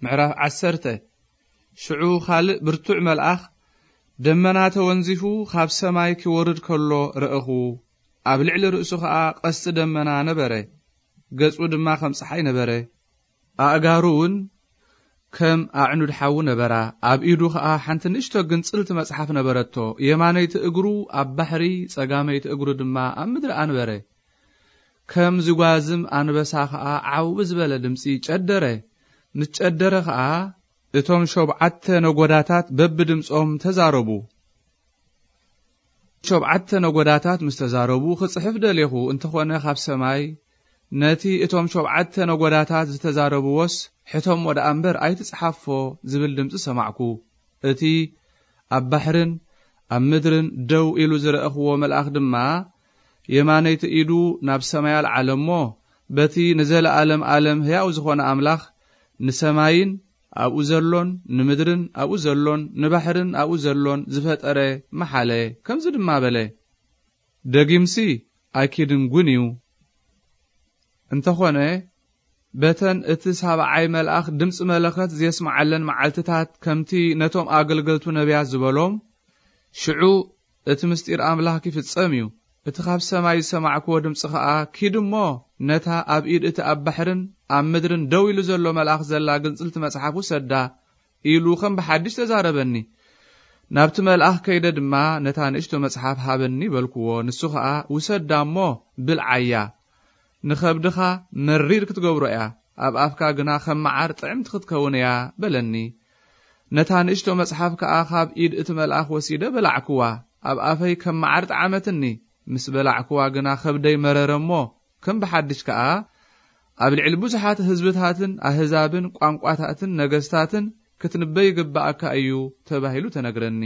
ምዕራፍ ዓሰርተ። ሽዑ ካልእ ብርቱዕ መልኣኽ ደመና ተወንዚፉ ካብ ሰማይ ኪወርድ ከሎ ረእኹ። ኣብ ልዕሊ ርእሱ ኸኣ ቀስቲ ደመና ነበረ። ገጹ ድማ ከም ጸሓይ ነበረ። ኣእጋሩ እውን ከም ኣዕኑድ ሓዊ ነበራ። ኣብ ኢዱ ኸኣ ሓንቲ ንእሽቶ ግንጽልቲ መጽሓፍ ነበረቶ። የማነይቲ እግሩ ኣብ ባሕሪ፣ ጸጋመይቲ እግሩ ድማ ኣብ ምድሪ ኣንበረ። ከም ዝጓዝም ኣንበሳ ኸኣ ዓው ብዝበለ ድምጺ ጨደረ። ምስ ጨደረ ኸኣ እቶም ሸብዓተ ነጎዳታት በብድምጾም ተዛረቡ። ሸብዓተ ነጎዳታት ምስ ተዛረቡ ክጽሕፍ ደሌኹ፣ እንተኾነ ካብ ሰማይ ነቲ እቶም ሸብዓተ ነጎዳታት ዝተዛረብዎስ ሕተሞ ደኣ እምበር ኣይትጽሓፎ ዝብል ድምጺ ሰማዕኩ። እቲ ኣብ ባሕርን ኣብ ምድርን ደው ኢሉ ዝረእኽዎ መልኣኽ ድማ የማነይቲ ኢዱ ናብ ሰማይ ኣልዓለ እሞ፣ በቲ ንዘለኣለም ኣለም ሕያው ዝኾነ ኣምላኽ፣ ንሰማይን ኣብኡ ዘሎን፣ ንምድርን ኣብኡ ዘሎን፣ ንባሕርን ኣብኡ ዘሎን ዝፈጠረ መሓለ። ከምዚ ድማ በለ፣ ደጊምሲ ኣይኪድን ጉን እዩ። እንተኾነ፣ በተን እቲ ሳብዓይ መልኣኽ ድምፂ መለኸት ዘስምዓለን መዓልትታት፣ ከምቲ ነቶም ኣገልገልቱ ነቢያት ዝበሎም፣ ሽዑ እቲ ምስጢር ኣምላኽ ኪፍጸም እዩ። እቲ ካብ ሰማይ ዝሰማዕክዎ ድምፂ ኸኣ፣ ኪድ እሞ ነታ ኣብ ኢድ እቲ ኣብ ባሕርን ኣብ ምድርን ደው ኢሉ ዘሎ መልኣኽ ዘላ ግንጽልቲ መጽሓፍ ውሰዳ፣ ኢሉ ከም ብሓድሽ ተዛረበኒ። ናብቲ መልኣኽ ከይደ ድማ፣ ነታ ንእሽቶ መጽሓፍ ሃበኒ በልክዎ። ንሱ ኸኣ፣ ውሰዳ እሞ ብልዓያ። ንኸብድኻ መሪር ክትገብሮ እያ፣ ኣብ ኣፍካ ግና ከም መዓር ጥዕምቲ ክትከውን እያ፣ በለኒ። ነታ ንእሽቶ መጽሓፍ ከኣ ካብ ኢድ እቲ መልኣኽ ወሲደ በላዕክዋ። ኣብ ኣፈይ ከም መዓር ጠዓመትኒ። ምስ በላዕክዋ ግና ከብደይ መረረ እሞ፣ ከም ብሓድሽ ከኣ፣ ኣብ ልዕሊ ብዙሓት ህዝብታትን ኣህዛብን ቋንቋታትን ነገስታትን ክትንበይ ይግብኣካ እዩ ተባሂሉ ተነግረኒ።